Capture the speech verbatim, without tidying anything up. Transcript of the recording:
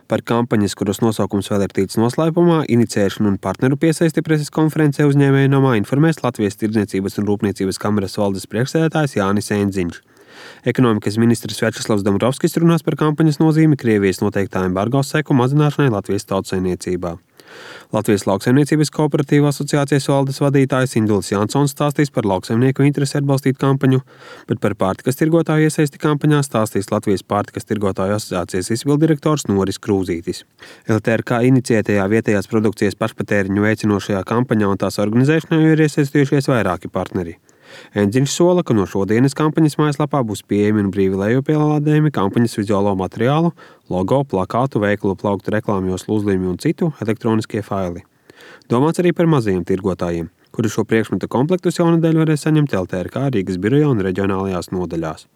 Par kampaņas, kuras nosaukums vēl ir ticis noslēpumā, inicēšanu un partneru piesaisti preses konferencē uzņēmēju namā informēs Latvijas Tirdzniecības un Rūpniecības kameras valdes priekšsēdētājs Jānis Endziņš. Ekonomikas ministrs Vjačeslavs Dombrovskis runās par kampaņas nozīmi Krievijas noteiktā embargo seku mazināšanai Latvijas tautsaimniecībā. Latvijas Lauksaimniecības kooperatīvu asociācijas valdes vadītājs Indulis Jansons stāstīs par lauksaimnieku interesi atbalstīt kampaņu, bet par pārtikas tirgotāju iesaisti kampaņā stāstīs Latvijas pārtikas tirgotāju asociācijas izpilddirektors Noris Krūzītis. L T R K iniciētajā vietējās produkcijas pašpatēriņu veicinošajā kampaņā un tās organizēšanā ir iesaistījušies vairāki partneri. Endziņš sola, ka no šodienas kampaņas mājaslapā būs pieejami un brīvi lejupielādējami kampaņas vizuālo materiālu, logo, plakātu, veikalu plauktu reklāmjoslu uzlīmi un citu elektroniskie faili. Domāts arī par mazajiem tirgotājiem, kuri šo priekšmetu komplektus jaunadēļ varēs saņemt L T R K Rīgas birojā un reģionālajās nodaļās.